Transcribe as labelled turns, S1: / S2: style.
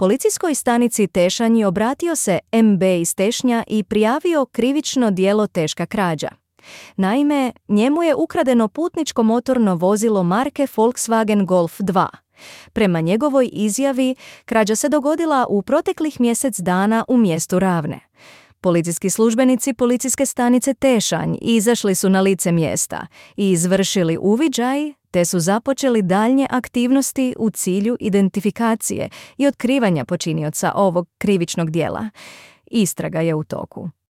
S1: Policijskoj stanici Tešanj obratio se MB iz Tešnja i prijavio krivično djelo teška krađa. Naime, njemu je ukradeno putničko motorno vozilo marke Volkswagen Golf 2. Prema njegovoj izjavi, krađa se dogodila u proteklih mjesec dana u mjestu Ravne. Policijski službenici policijske stanice Tešanj izašli su na lice mjesta i izvršili uviđaj, te su započeli daljnje aktivnosti u cilju identifikacije i otkrivanja počinioca ovog krivičnog djela. Istraga je u toku.